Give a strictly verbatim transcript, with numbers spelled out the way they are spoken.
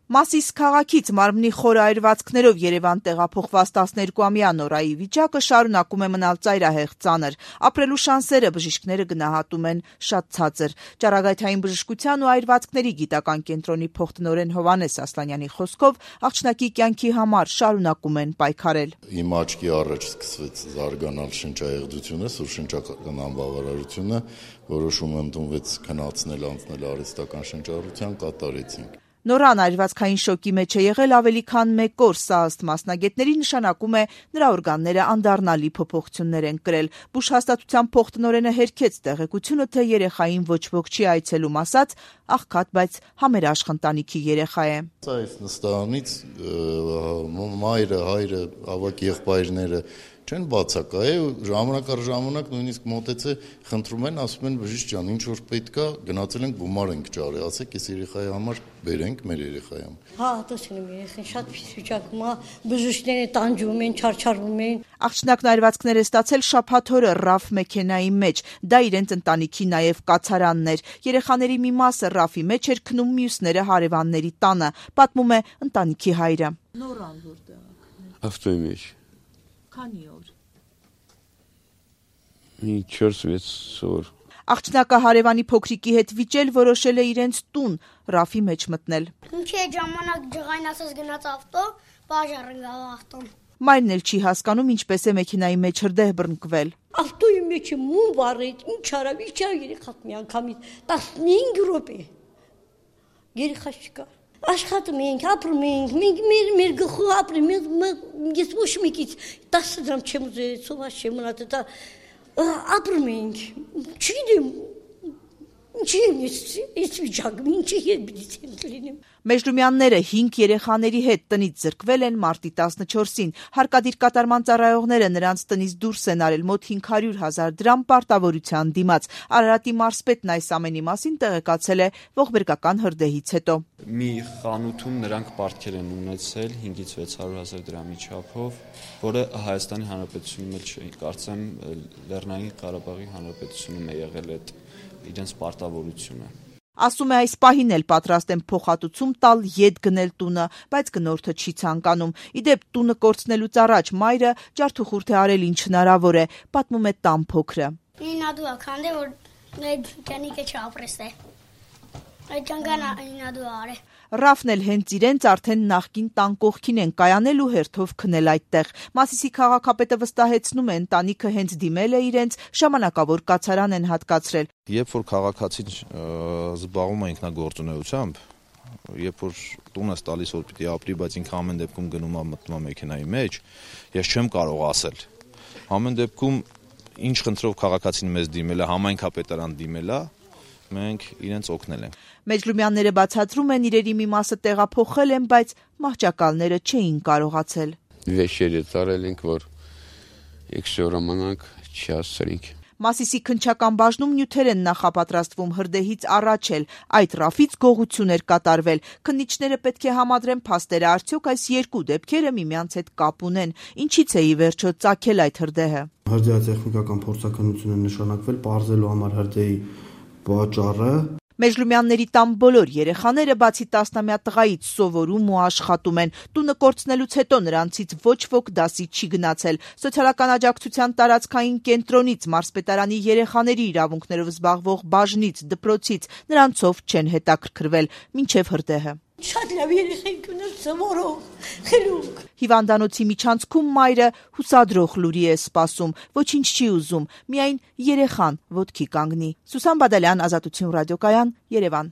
Մասիս քաղաքից մարմնի խորը այրվածքներով Երևան տեղափոխված տասներկուամյա Նորայի վիճակը շարունակում է մնալ ծայրահեղ ծանր։ Ապրելու շանսերը բժիշկները գնահատում են շատ ցածր։ Ճառագայթային բժշկության ու այրվածքների գիտական կենտրոնի փոխտնօրեն Հովհաննես Ասլանյանի խոսքով աղջնակի կյանքի համար շարունակում են պայքարել։ Իմ աչքի առաջ սկսվեց զարգանալ շնչահեղձությունը, սուրշնչական անբավարարությունը, որոշումը ընդունվեց քննացնել անցնել արհեստական շնչառության, կատարեցինք։ Նորան այրվածքային շոկի մեջ է եղել ավելի քան մեկ օր, սա ըստ մասնագետների նշանակում է նրա օրգանները անդառնալի փոփոխություններ են կրել։ Բուժհաստատության փոխտնօրենը հերքեց տեղեկությունը, թե երեխային ոչ ոք չի այցելում, ասաց աղքատ, բայց համերաշխ ընտանիքի երեխա է։ Այս նստարանից մայրը, հայրը, ավակ եղբայրները չեն բացակայել, ժամանակ առ ժամանակ նույնիսկ մոտեցե խնդրում են, ասում են բժիշկ ջան, ինչ որ պետք է, գնացել ենք գումար ենք ճարել, ասեք այս երեխայի համար բերենք մեր երեխայի համար։ Հա, տեսնում երեխան շատ վիճակում է, բժիշկները տանջում են, չարչարվում են։ Աղջնակն այրվածքներ է ստացել շաբաթ օրը ռաֆ մեքենայի մեջ, դա իրենց ընտանիքի նաև կացարանն էր։ Երեխաների մի մասը ռաֆի մեջ էր քնում, մյուսները հարևանների տանը, պատմում է ընտանիքի հայրը։ Նորան որտեղ է։ Ավտոյի մեջ։ Քանի օր։ Մի չորս-վեց օր։ Աղջնակը հարևանի փոքրիկի հետ վիճել որոշել է իրենց տուն ռաֆի մեջ մտնել։ Ինչի՞ է ժամանակ ջղային ասես գնաց ավտո, բաժարն գավ ավտոն։ Մայրն էլ չի հասկանում ինչպես է մեքենայի մեջ հրդեհ բռնկվել։ Ավտոյի մեջ մում վառեց, ինչ արավ, ինչ արավ երեխան մի անգամից տասնհինգ րոպե։ Երեխա չկա։ Աշխատում ենք, ապրում ենք, մենք մեր մեր գլխով ապրում ենք, ես ոչ մեկից տասը դրամ չեմ ուզել, սոված չեմ մնալ, դա ապրում ենք, չգիտեմ, ինչի եմ ես, ես վիճակում, ինչի հետ պիտի եմ լինեմ։ Մեժլումյանները հինգ երեխաների հետ տնից զրկվել են մարտի տասնչորսին։ Հարկադիր կատարման ծառայողները նրանց տնից դուրս են արել մոտ հինգ հարյուր հազար դրամ պարտավորության դիմաց։ Արարատի մարզպետն այս ամենի մասին տեղեկացել է ողբերգական հրդեհից հետո։ Մի խանութում նրանք պարտքեր են ունեցել հինգից վեց հարյուր հազար դրամի չափով, որը Հայաստանի Հանրապետությունում էլ չէ, կարծեմ Լեռնային Ղարաբաղի Հանրապետությունում է եղել այդ իրենց պարտավորությունը։ Ասում է այս պահին էլ պատրաստ են փոխհատուցում տալ ետ գնել տունը, բայց գնորդը չի ցանկանում։ Իդեպ տունը կորցնելուց առաջ մայրը ջարդուխուրդ է արել ինչ հնարավոր է, պատմում է տան փոքրը։ Ինադու ականդե որ ջանիկը չապրեսե։ Այդ ջանգանա ինադու արե։ Ռաֆն էլ հենց իրենց արդեն նախկին տան կողքին են կայանել ու հերթով քնել այդտեղ։ Մասիսի քաղաքապետը վստահեցնում է ընտանիքը հենց դիմել է իրենց, ժամանակավոր կացարան են հատկացրել։ Երբ որ քաղաքացին զբաղվում է ինքնագործունեությամբ, երբ որ տունս տալիս որ պիտի ապրի, բայց ինքը ամեն դեպքում գնում է մտնում է մեքենայի մեջ, ես չեմ կարող ասել։ Ամեն դեպքում ինչ խնդրով քաղաքացին մեզ դիմել է, համայնքապետարան դիմել է, մենք իրենց օգնել ենք։ Մեջլումյանները բացատրում են իրերի մի մասը տեղափոխել են, բայց մահճակալները չէին կարողացել։ Վեշերը ծարել ենք, որ եկշոramanակ չհասցրինք։ Մասիսի քնչական բաժնում նյութեր են նախապատրաստվում հրդեհից առաջ էլ, այդ ռաֆից գողություն էր կատարվել։ Քննիչները պետք է համադրեն փաստերը, արդյոք այս երկու դեպքերը միմյանց հետ կապ ունեն, ինչից է ի վերջո ծագել այդ հրդեհը։ Հրդեհատեխնիկական փորձաքննություն է նշանակվել պարզելու համար հրդեհի պատճառը։ Մեջլումյանների տան բոլոր երեխաները բացի տասնամյա տղայից սովորում ու աշխատում են։ Տունը կորցնելուց հետո նրանցից ոչ ոք դասի չի գնացել։ Սոցիալական աջակցության տարածքային կենտրոնից, մարզպետարանի երեխաների իրավունքներով զբաղվող բաժնից, դպրոցից նրանցով չեն հետաքրքրվել, մինչև հրդեհը։ Շատ լավ երեխեք ունեն սովորող, խելոք։ Հիվանդանոցի միջանցքում մայրը հուսադրող լուրի է սպասում, ոչինչ չի ուզում, միայն երեխան ոտքի կանգնի։ Սուսան Բադալյան, Ազատություն ռադիոկայան, Երևան։